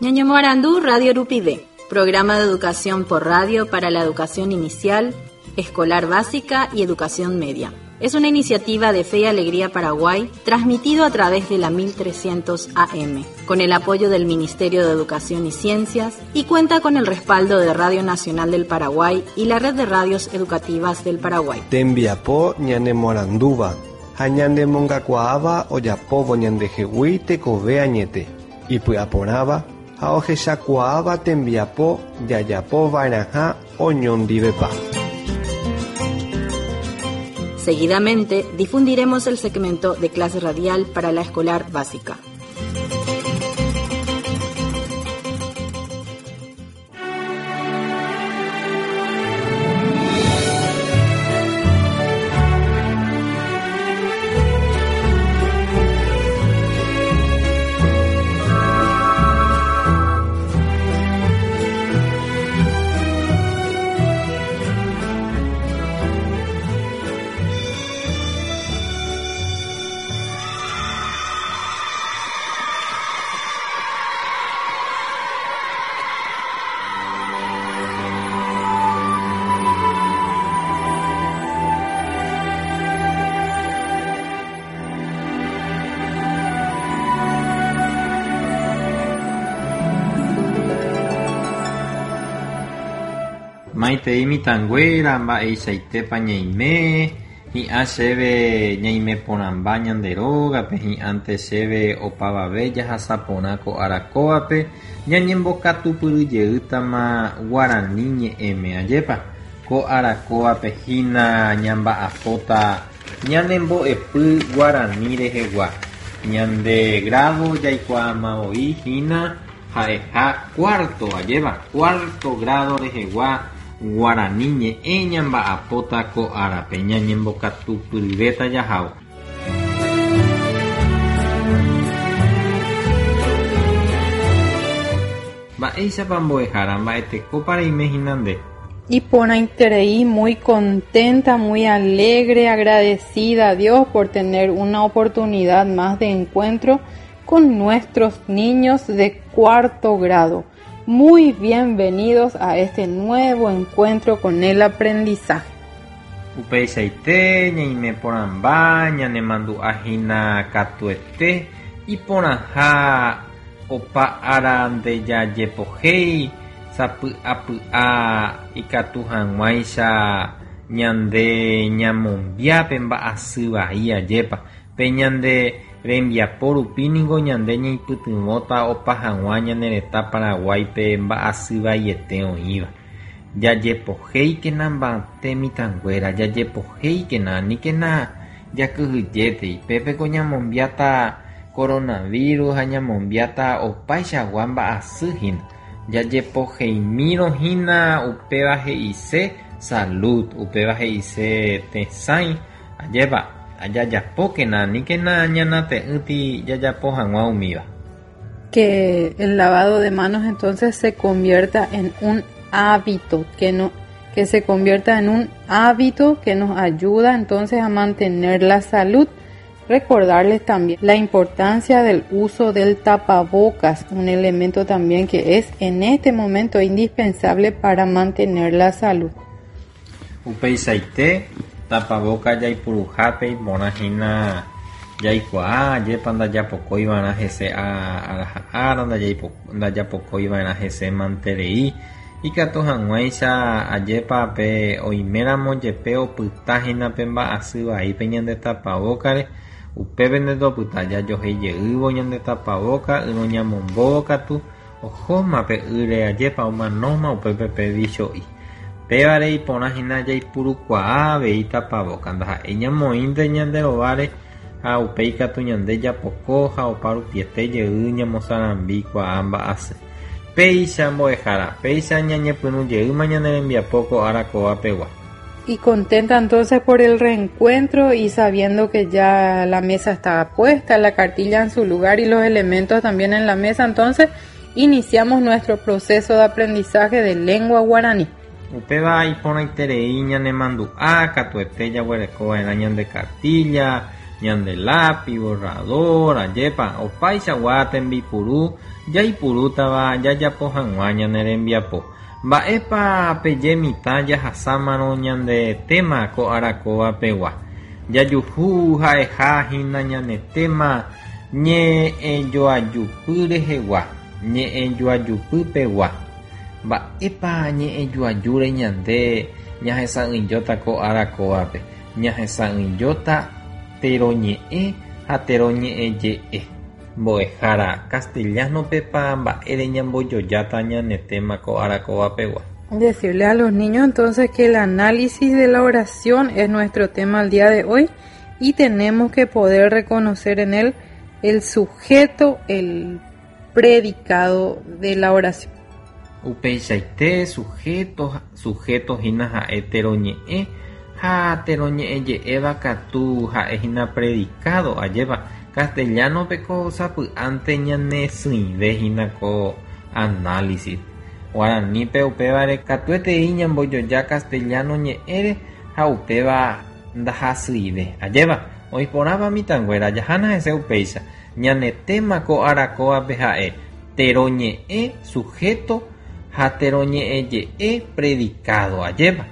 Ñañemoarandu Radio Rupive, programa de educación por radio para la educación inicial, escolar básica y educación media. Es una iniciativa de Fe y Alegría Paraguay, transmitido a través de la 1300 AM, con el apoyo del Ministerio de Educación y Ciencias y cuenta con el respaldo de Radio Nacional del Paraguay y la Red de Radios Educativas del Paraguay. Tembiapo ñanemoarandúva ha ñanemongakuaáva ojapóvo ñandehegui tekove añete, ipy'aporãva ha ohechakuaáva tembiapo jajapova'erãha oñondivepa. Seguidamente difundiremos el segmento de clase radial para la escolar básica. Maitei mitãnguéra mba'eichaitépa ñaime, hi'ã chéve ñaime porãmba ñande rógape, hi'ãnte chéve opavave jahasa porã ko ára kóvape, ñañembokatupyryjeýtama guarani ñe'ẽme, ajépa? Ko ára kóvape hína ñamba'apóta ñane mbo'epy guarani rehegua. Ñande grado jaikuaáma voi hína Ha'eha cuarto, ajéva, cuarto grado rehegua guarani ñe'ẽ ñamba'apóta ko árape, ñañembokatupyryvéta jahávo. Mba'éichapa mbo'ehára, mba'etekópa reime hína nde? Iporãiterei, muy contenta, muy alegre, agradecida a Dios por tener una oportunidad más de encuentro con nuestros niños de cuarto grado. Muy bienvenidos a este nuevo encuentro con el aprendizaje. Upeichaite ñaime porãmba ñanemandu'a hína katuete iporãha opa ára ndejajepohéi sapy'apy'a ikatu hag̃uáicha ñande ñamombia pe mba'asy vai ajépa Pe ñande rembiapo rupi ningo ñande ñaipytyvõta opa hag̃ua ñane retã Paraguáipe mba'asy vaiete oĩva. Jajepohéikena mba'ete mitãnguéra, jajepohéikena, aníkena jakyhyjétei, pépeko ñamombiáta coronavirus ha ñamombiáta opaichagua mba'asy hína. Jajepoheimírõ hína upéva he'ise salud, upéva he'ise tesãi. Ajépa, jajapókena, aníkena ñanate'ỹti jajapo hag̃ua umíva. Que el lavado de manos entonces se convierta en un hábito, que no, que se convierta en un hábito que nos ayuda entonces a mantener la salud. Recordarles también la importancia del uso del tapabocas, un elemento también que es en este momento indispensable para mantener la salud. Upeichaite, tapabóka jaipuruhápe iporã hína jaikuaa, ajépa ndajapokói va'erã hese ára ha ára, ndajapokói va'erã hese manterei, ikatu hag̃uáicha ajépa pe oiméramo jepe opyta hína pe mba'asy vai pe ñande tapabókare, upépe ndetopyta jajohéi jeývo ñande tapabóka ýrõ ñamombóvo katu, Ohóma pe ýre ajépa omanóma upépe pe vicho'i. Pévare iporã hína jaipurukuaa avei tapavoka, ndaha'éi ñamoĩnte ñande rováre ha upéi katu ñande japoko ha opa rupiete jey ñamosarambi kuaa mba'asy. Péicha mbo'ehára, péicha ñañepyrũ jeýma ñane rembiapo ko ára kóva pegua. Y contenta entonces por el reencuentro y sabiendo que ya la mesa estaba puesta, la cartilla en su lugar y los elementos también en la mesa, entonces iniciamos nuestro proceso de aprendizaje de lengua guaraní. Upéva iporãiterei ñanemandu'a katuete jaguereko va'erã ñande kartílla, Ñande lápiz, borrador, ajépa, opaichagua tembipuru jaipurútava jajapo hag̃ua ñane rembiapo. Mba'épa peje mitã jahasámarõ ñande tema ko ára kóva pegua. Jajuhu ha'eha hína ñane tema ñe'ẽjoajupy rehegua, ñe'ẽjoajupy pegua. Mba'épa ñe'ẽjoajúre ñande ñahesa'ỹijóta ko ára kóvape. Ñahesa'ỹijóta teroñe'ẽ ha teroñe'ẽje'e. Mbo'ehára, castellano-pepa mba'ére ñambojojáta ñane tema ko ára kóva pegua. Decirle a los niños entonces que el análisis de la oración es nuestro tema al día de hoy y tenemos que poder reconocer en él el sujeto, el predicado de la oración. Upeichaite sujeto, sujeto hína ha'e teroñe'ẽ ha teroñe'ẽje'éva katu ha'e hína predicado, ajépa castellano-pe ko sapy'ánte ñanesỹive hína ko análisis. Guaranípe upévare katuetei ñambojoja castellano ñe'ẽre ha upéva ndahasyive. Ajépa oĩporãva mitãnguéra jahána hese upéicha. Ñane tema ko ára kóvape ha'e teroñe'ẽ sujeto ha teroñe'ẽje'e predicado. Ajépa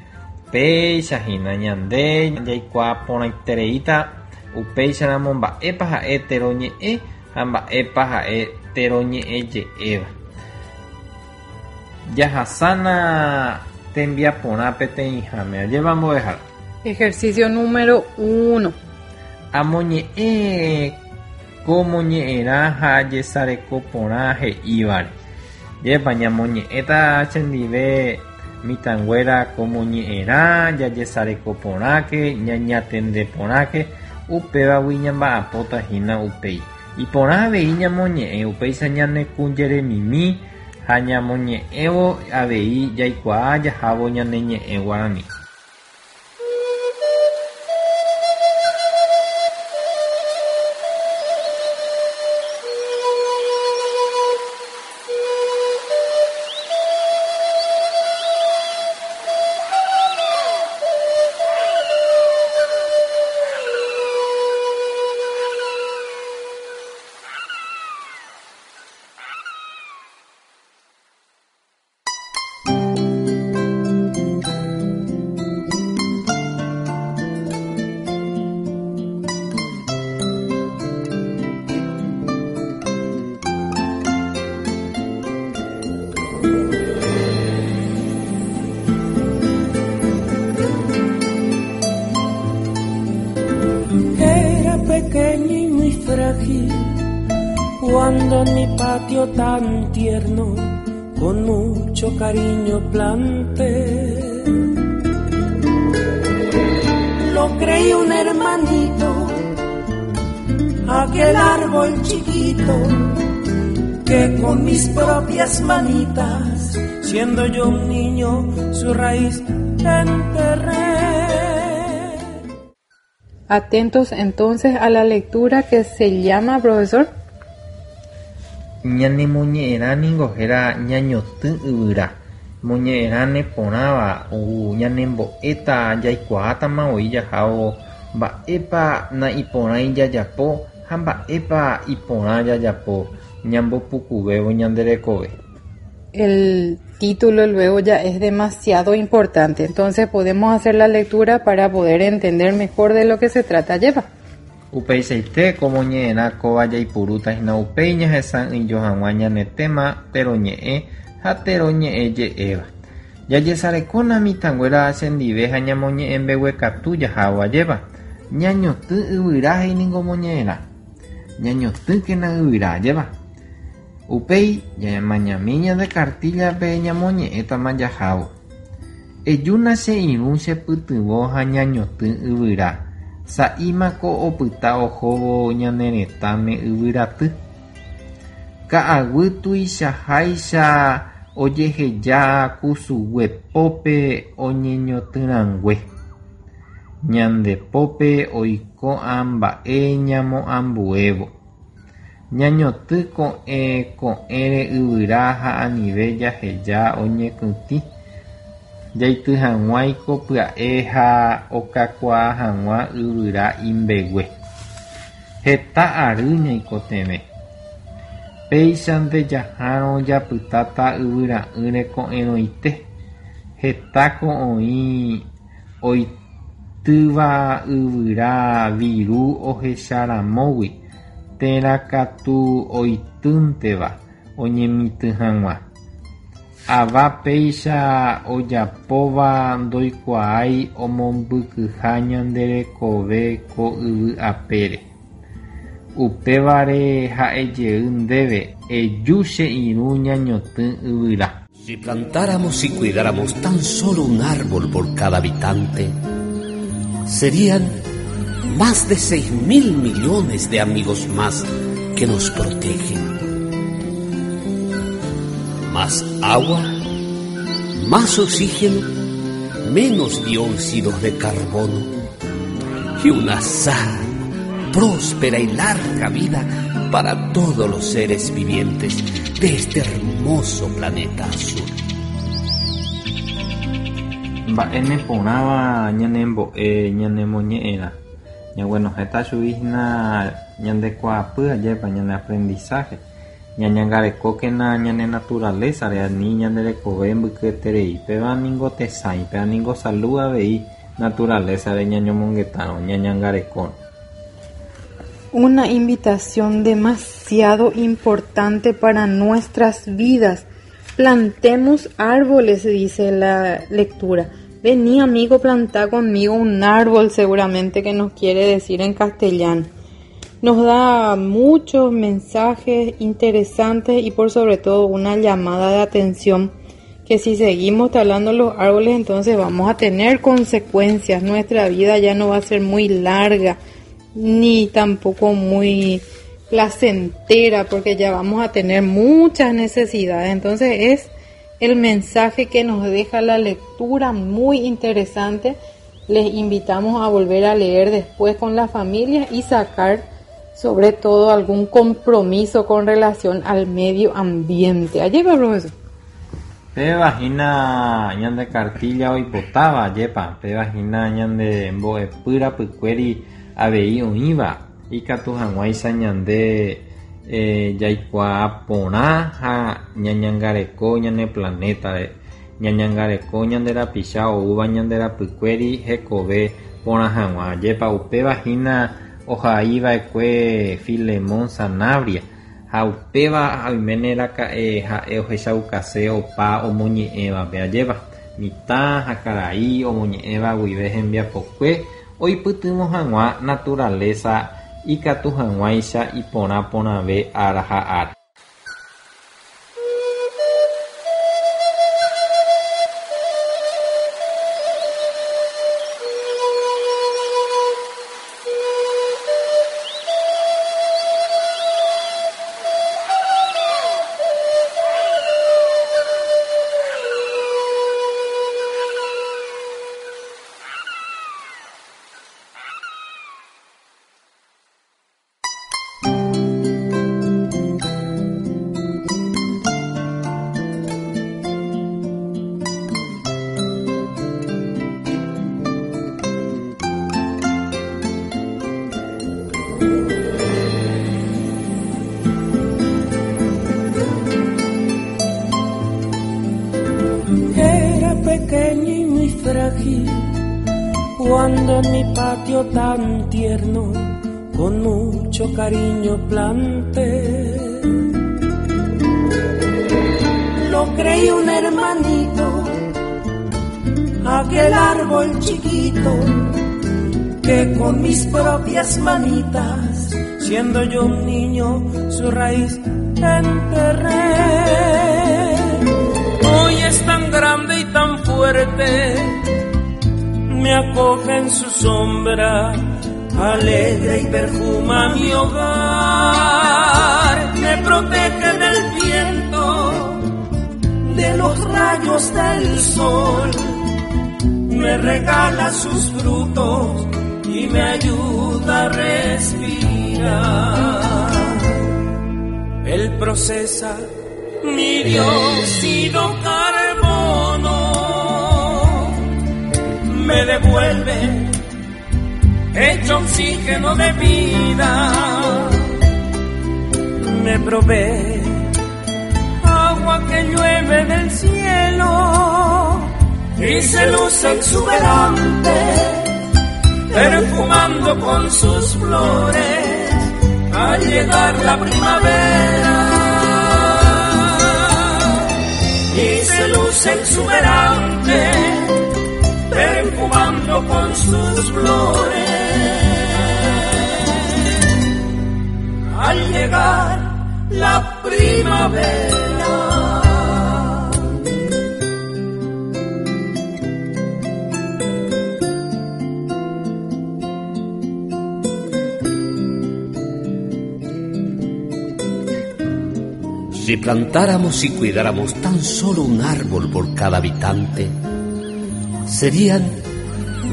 péicha hína ñande jaikuaa porãitereíta upéicharamo mba'épa ha'e teroñe'ẽ ha mba'épa ha'e teroñe'ẽje'éva. Jahasána tembiaporã peteĩháme. Ajépa mbo'ehára. Ejercicio número 1. Amoñe'ẽ ko moñe'ẽrã ha jesareko porã he'ívare. Jepa ñamoñe'ẽta chendive mitãnguéra ko moñe'ẽrã jajesareko porãke ñañatende porãke upévagui ñamba'apóta hína upéi. Iporã avei ñamoñe'ẽ upéicha ñanekũjeremimi ha ñamoñe'ẽvo avei jaikuaa jahávo ñane ñe'ẽ guarani. Era pequeño y muy frágil cuando en mi patio tan tierno con mucho cariño planté. Lo creí un hermanito, aquel árbol chiquito que con mis propias manitas, siendo yo un niño, su raíz enterré. Atentos entonces a la lectura que se llama, profesor. Ñane moñe'ẽrã ningo héra ñañotỹ yvyra. Moñe'ẽrã neporãva ñanembo'éta jaikuaátama voi jahávo mba'épa naiporãi jajapo ha mba'épa iporã jajapo ñambopukuvévo ñande rekove. El título luego ya es demasiado importante, entonces podemos hacer la lectura para poder entender mejor de lo que se trata. Lleva. Upeichaite ko moñe'ẽrã kóva jaipurúta hína upéi ñahesa'ỹijo hag̃ua ñane tema teroñe'ẽ ha teroñe'ẽje'éva. Jajesarekóna mitãnguéra chendive ha ñamoñe'ẽ mbeguekatu jahávo ajépa. Ñañotỹ yvyra he'i ningo moñe'ẽrã. Ñañotỹkena yvyra ajépa. Upéi ñamañami ñande cartilla-pe ñamoñe'ẽtama jahávo. Ejúna che irũ chepytyvõ ha ñañotỹ yvyra. Sa'ímako opyta ohóvo ñane retãme yvyraty. Ka'aguy tuichaháicha ojeheja kusugue pópe oñeñotỹrangue. Ñande pópe oiko ã mba'e ñamoambuévo. Ñañotỹ ko'ẽ ko'ẽre yvyra ha anive jaheja oñekytĩ. Jaity hag̃uáiko pya'e ha okakuaa hag̃ua yvyra imbegue. Heta ary ñaikotevẽ. Péichante jahárõ japytáta yvyra'ỹre ko'ẽrõite. Hetáko oĩ oitýva yvyra viru ohecharamógui térã katu oitýnteva oñemitỹ hag̃ua. Ava péicha ojapóva ndoikuaái omombykyha ñande rekove ko yvy apére. Upévare ha'ejey ndéve, Eju che irũ ñañotỹ yvyra. Si plantáramos y cuidáramos tan solo un árbol por cada habitante, serían más de 6 mil millones de amigos más que nos protegen. Más agua, más oxígeno, menos dióxidos de carbono y una sana, próspera y larga vida para todos los seres vivientes de este hermoso planeta azul. Mba'e neporãva ñanembo'e ñanemoñe'ẽrã. Ñaguenohẽta chugui hína ñande kuaapy ajépa ñane aprendizaje. Ñañangarekókena ñane naturaleza-re ani ñande rekove mbykyeterei. Péva ningo tesãi, péva ningo salud avei naturaleza-re ñañomongetárõ, ñañangarekórõ. Una invitación demasiado importante para nuestras vidas. Plantemos árboles, dice la lectura. Vení, amigo, plantá conmigo un árbol, seguramente que nos quiere decir en castellano. Nos da muchos mensajes interesantes y por sobre todo una llamada de atención que si seguimos talando los árboles entonces vamos a tener consecuencias. Nuestra vida ya no va a ser muy larga ni tampoco muy placentera porque ya vamos a tener muchas necesidades. Entonces es el mensaje que nos deja la lectura, muy interesante. Les invitamos a volver a leer después con la familia y sacar sobre todo algún compromiso con relación al medio ambiente. Ajépa, profesor. Péva hína ñande cartilla oipotáva, ajépa, péva hína ñande mbo'epy rapykuéri avei oĩva, ikatu hag̃uáicha ñande jaikuaa porã ha ñañangareko ñane planétare, ñañangareko ñande rapicha oúva ñande rapykuéri hekove porã hag̃ua. Ajépa, upéva hína ohaiva'ekue Filemón Sanabria ha upéva oiméne raka'e ha'e ohechaukase opa omoñe'ẽvape. Ajépa, mitã ha karai omoñe'ẽva guive hembiapokue oipytyvõ hag̃ua naturaleza ikatu hag̃uáicha iporã porãve ára ha ára. Era pequeño y muy frágil cuando en mi patio tan tierno con mucho cariño planté. Lo creí un hermanito, aquel árbol chiquito que con mis propias manitas, siendo yo un niño, su raíz enterré. Hoy es tan grande y tan fuerte, me acoge en su sombra, alegre y perfuma mi hogar, me protege del viento, de los rayos del sol, me regala sus frutos y me ayuda a respirar. Él procesa mi dióxido carbono, me devuelve Hecho oxígeno de vida, me provee agua que llueve del cielo y se luce exuberante, perfumando con sus flores al llegar la primavera. Y se luce exuberante, perfumando con sus flores al llegar la primavera. Si plantáramos y cuidáramos tan solo un árbol por cada habitante, serían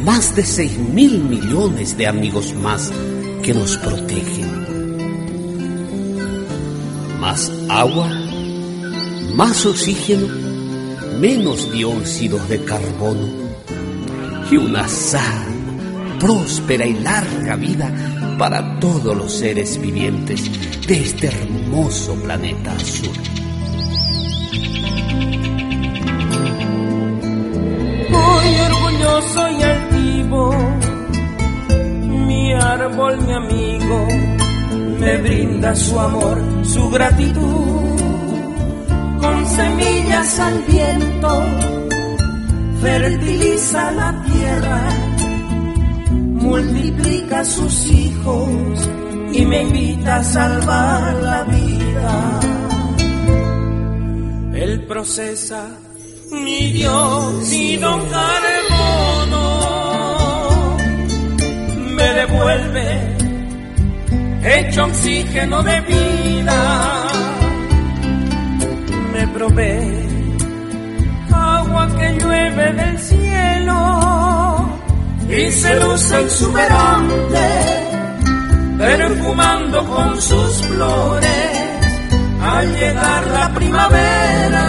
más de 6.000 millones de amigos más que nos protegen. Más agua, más oxígeno, menos dióxidos de carbono y una sana, próspera y larga vida para todos los seres vivientes de este hermoso planeta azul. Muy orgulloso y altivo, mi árbol, mi amigo, me brinda su amor, su gratitud. Con semillas al viento, fertiliza la tierra, multiplica sus hijos y me invita a salvar la vida. Él procesa mi dióxido carbono, me devuelve hecho oxígeno de vida, me provee agua que llueve del cielo y se luce exuberante, perfumando con sus flores al llegar la primavera.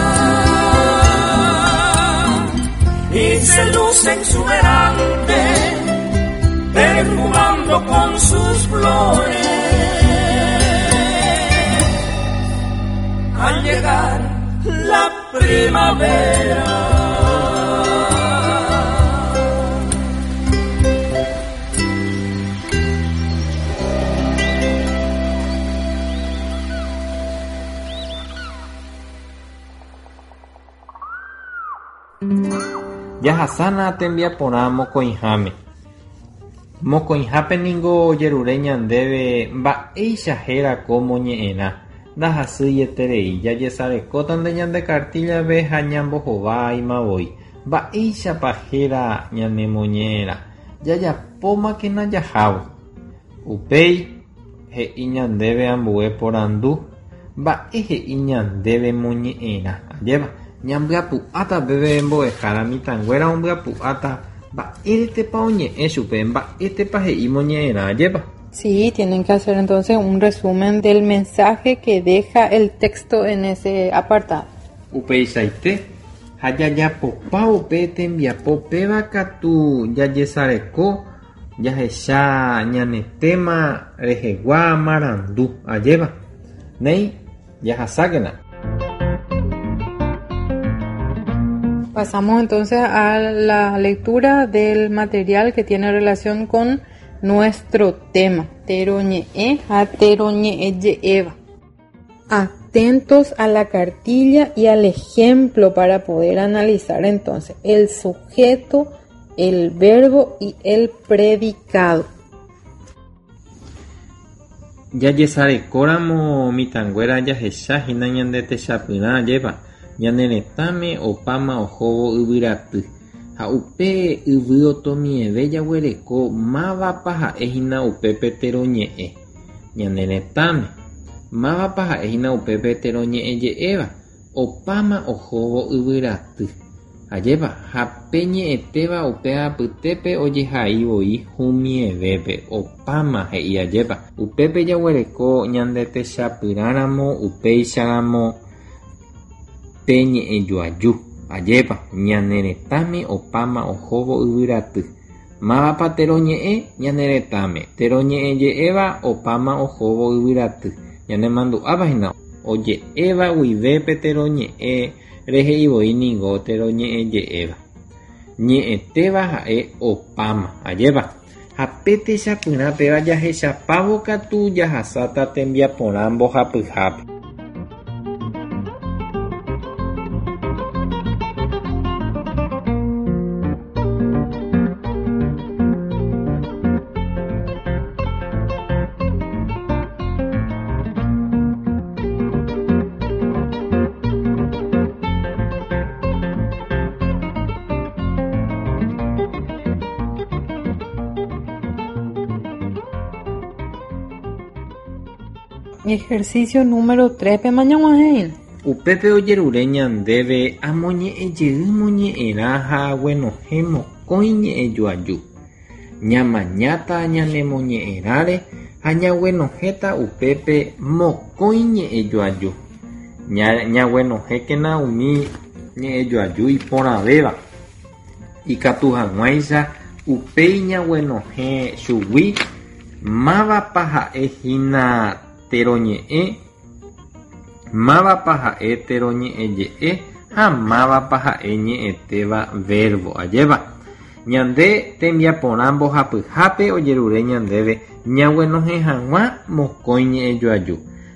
Y se luce exuberante, perfumando con sus flores al llegar la primavera. Jahasana tembiaporã mokõiháme. Mokõihápe ningo ojerure ñandéve mba'éicha héra ko moñe'ẽrã, ndahasyieterei, jajesarekótante ñande cartilla-pe ha ñambohováima voi. Mba'éichapa héra ñanemoñe'ẽrã, jajapómakena jahávo. Upéi he'i ñandéve ambue porandu, mba'e he'i ñandéve moñe'ẽrã. Ajépa, ñambyapu'áta peve mbo'ehára mitãnguéra ombyapu'áta mba'éretepa oñe'ẽ chupe, mba'étepa he'i moñe'ẽrã, ajépa. Sí, tienen que hacer entonces un resumen del mensaje que deja el texto en ese apartado. Upeichaite ha jajapopa upe tembiapo péva katu jajesareko jahecha ñane tema rehegua marandu, ajépa. Néi, jahasákena. Pasamos entonces a la lectura del material que tiene relación con nuestro tema, teroñe'ẽ ha teroñe'ẽ je'éva. Atentos a la cartilla y al ejemplo para poder analizar entonces el sujeto, el verbo y el predicado. Jajesarekóramo mitãnguéra jahechahína ñande techapyrã, ajépa, ñane retãme opáma ohóvo yvyraty ha upe yvy otomieve jaguereko mávapa ha'ehína upépe teroñe'ẽ ñane retãme, mávapa ha'ehína upépe teroñe'ẽ je'éva, opáma ohóvo yvyraty. Ajépa, ha pe ñe'ẽtéva upe apytépe ojehai voi humievépe, opáma he'i ajépa. Upépe jaguereko ñande techapyrãramo, upéicharamo pe ñe'ẽjoaju, ajépa, ñane retãme opáma ohóvo yvyraty. Mávapa teroñe'ẽ ñane retãme, teroñe'ẽ je'éva opáma ohóvo yvyraty. Ñanemandu'áva hína oje'éva guive pe teroñe'ẽ rehe'ivoi ningo teroñe'ẽ je'éva. Ñe'ẽtéva ha'e opáma, ajépa. Ha pe techapyrã péva jahechapávo katu jahasáta tembiaporã mbohapyhápe. Ejercicio número 3 pe mañag̃uahẽina. Upépe ojerure ñandéve amoñe'ẽjey moñe'ẽrã ha aguenohẽ mokõi ñe'ẽjoaju. Ñamañáta ñanemoñe'ẽrãre ha ñaguenohẽta upépe mokõi ñe'ẽjoaju. Ñaguenohẽkena umi ñe'ẽjoaju iporãvéva, ikatu hag̃uáicha upéi ñaguenohẽ chugui mávapa ha'e hína teroñe'ẽ, mávapa ha'e teroñe'ẽje'e ha mávapa ha'e ñe'ẽtéva verbo. Ajépa? Ñande tembiaporã mbohapyhápe ojerure ñandéve ñaguenohẽ hag̃ua mokõi ñe'ẽjoaju.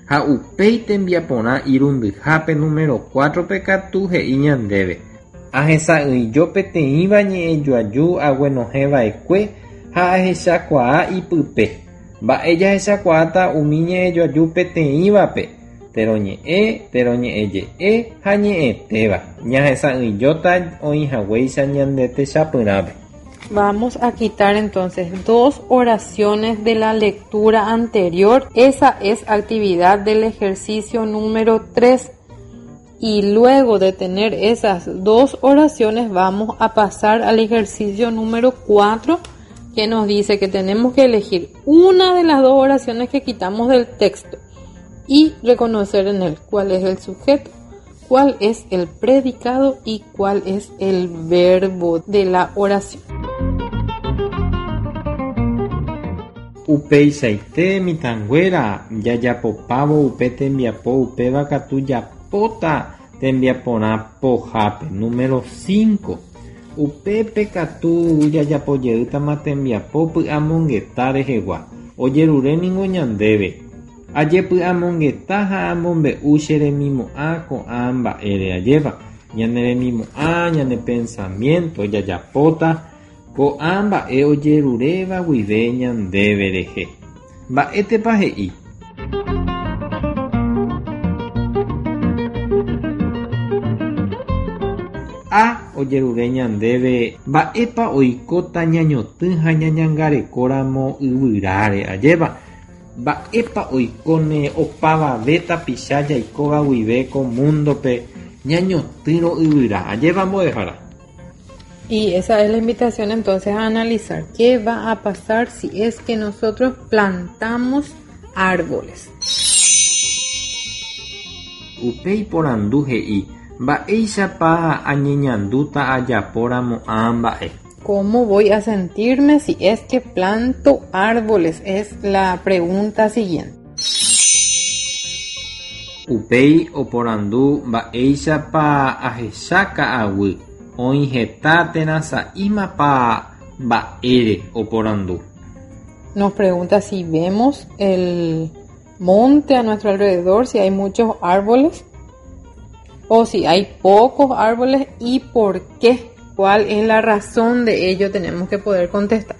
Ha upéi tembiaporã irundyhápe número 4-pe katu he'i ñandéve. Ahesa'ỹijo peteĩva ñe'ẽjoaju aguenohẽva'ekue ha ahechakuaa ipype. Mba'e jahechakuaáta umi ñe'ẽjoaju peteĩvape, teroñe'ẽ, teroñe'ẽje'e ha ñe'ẽtéva. Ñahesa'ỹijóta oĩhaguéicha ñande techapyrãpe. Vamos a quitar entonces dos oraciones de la lectura anterior. Esa es actividad del ejercicio número 3. Y luego de tener esas dos oraciones vamos a pasar al ejercicio número 4, que nos dice que tenemos que elegir una de las dos oraciones que quitamos del texto y reconocer en él cuál es el sujeto, cuál es el predicado y cuál es el verbo de la oración. Upeichaite mitãnguéra jajapopávo upe tembiapo upéva katu japóta tembiaporã pohápe número 5. Upépe katu jajapojeýtama tembiapo py'amongeta rehegua. Ojerure ningo ñandéve. Ajepy'amongeta ha amombe'u che remimo'ã ko'ã mba'ére ajépa. Ñane remimo'ã, ñane pensamiento jajapóta ko'ã mba'e ojeruréva guive ñandéve rehe. Mba'étepa he'i? A ojerure ñandéve mba'épa oikóta ñañotỹ ha ñañangarekóramo yvyráre ajépa. Mba'épa oikóne opavave tapicha jaikóva guive ko múndope ñañotỹrõ yvyra ajépa mbo'ehára. Y esa es la invitación entonces a analizar qué va a pasar si es que nosotros plantamos árboles. Upéi porandu he'i mba'éichapa añeñandúta ajapóramo ã mba'e. ¿Cómo voy a sentirme si es que planto árboles? Es la pregunta siguiente. Upéi oporandu mba'éichapa ahecha ka'aguy oĩ heta térã sa'ímapa mba'ére oporandu. Nos pregunta si vemos el monte a nuestro alrededor, si hay muchos árboles o si hay pocos árboles y por qué. ¿Cuál es la razón de ello? Tenemos que poder contestar.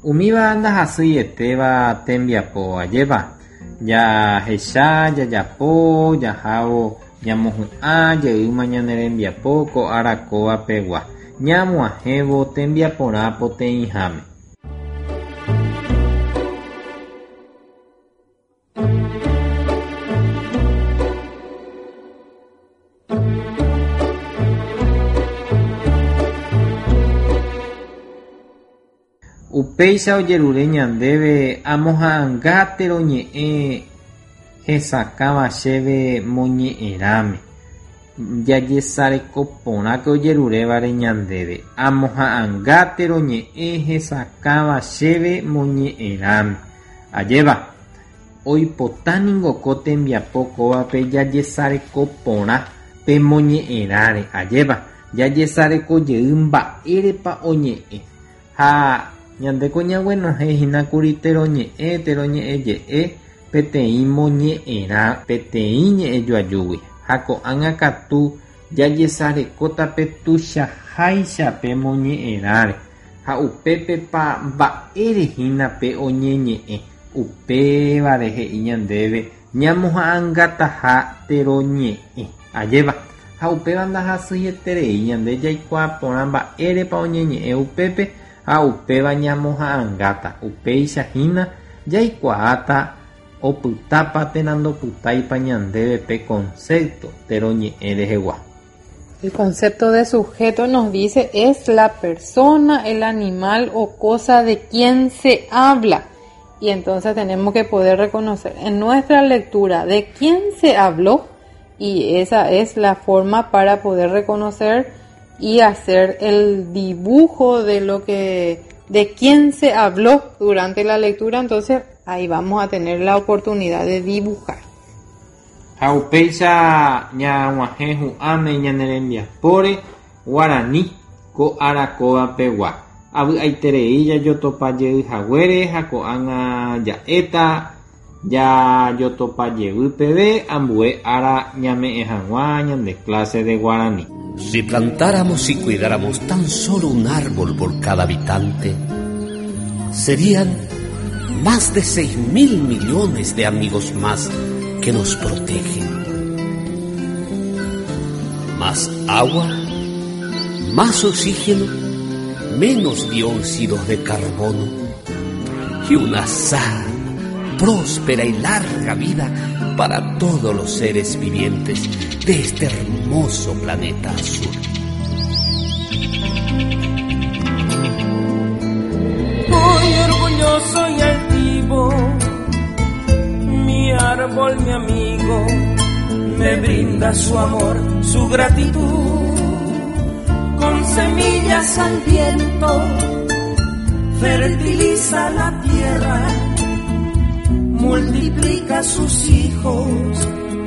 Umíva ndahasýietéva tembiapo ajépa. Jahecha, jajapo, jahávo, ñamohu'ã jeýma ñane rembiapo ko ára kóva pegua. Ñag̃uahẽvo tembiaporã poteĩháme. Upéicha ojerure ñandéve amoha'ãnga teroñe'ẽ hesakãva chéve moñe'ẽrãme. Jajesareko porãke ojerurévare ñandéve. Amoha'anga teroñe'ẽ hesakãva chéve moñe'ẽrãme. Ajépa, oipota ningo ko tembiapo kóvape jajesareko porã pe moñe'ẽrãre. Ajépa, jajesareko jey mba'érepa oñe'ẽ. Ha ñandéko ñaguenohẽ hína kuri teroñe'ẽ, teroñe'ẽ je'e peteĩ moñe'ẽrã peteĩ ñe'ẽjoajúgui. Ha ko'ág̃a katu jajesarekóta pe tuichaháicha pe moñe'ẽrãre. Ha upépepa mba'ére hína pe oñeñe'ẽ, upévare he'i ñandéve ñamoha'ãngataha teroñe'ẽ. Ajépa, ha upéva ndahasyieterei ñande jaikuaa porã mba'érepa oñeñe'ẽ upépe ha upéva ñamoha'ãngáta, upéicha hína jaikuaáta opytápa térã ndopytáipa ñandéve pe concepto teroñe'ẽ rehegua. El concepto de sujeto nos dice es la persona, el animal o cosa de quien se habla. Y entonces tenemos que poder reconocer en nuestra lectura de quién se habló y esa es la forma para poder reconocer y hacer el dibujo de lo que de quién se habló durante la lectura, entonces ahí vamos a tener la oportunidad de dibujar. Ha upéicha ñag̃uahẽ hu'ãme ñane rembiapóre guarani ko ára kóva pegua. Avy'aiterei jajotopa jey haguére ha ko'ág̃a ja'éta jajotopa jevy peve ambue ára ñame'ẽ hag̃ua ñande clase de guarani. Si plantáramos y cuidáramos tan solo un árbol por cada habitante, serían más de 6.000 millones de amigos más que nos protegen. Más agua, más oxígeno, menos dióxidos de carbono y una sana, próspera y larga vida para todos los seres vivientes de este hermoso planeta azul. Muy orgulloso y altivo, mi árbol, mi amigo, me brinda su amor, su gratitud. Con semillas al viento, fertiliza la tierra, multiplica sus hijos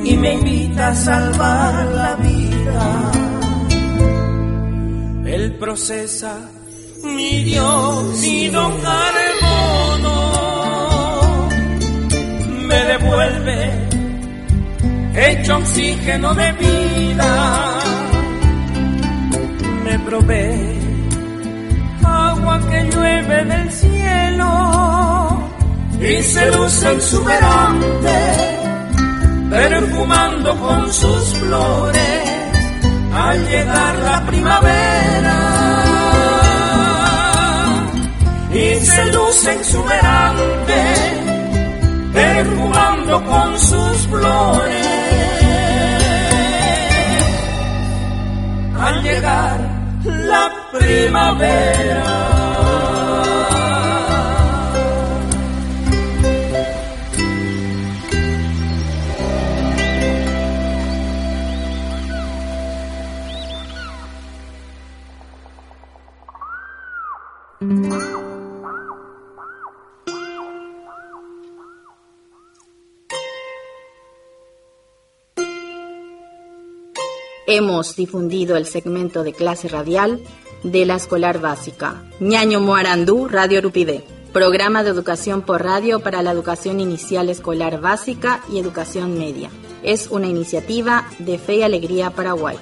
y me invita a salvar la vida. Él procesa mi dióxido carbono, me devuelve hecho oxígeno de vida, me provee agua que llueve del cielo y se luce exuberante, perfumando con sus flores al llegar la primavera. Y se luce exuberante, perfumando con sus flores al llegar la primavera. Hemos difundido el segmento de clase radial de la escolar básica. Ñaño Moarandú, Radio Rupivé. Programa de educación por radio para la educación inicial escolar básica y educación media. Es una iniciativa de Fe y Alegría Paraguay.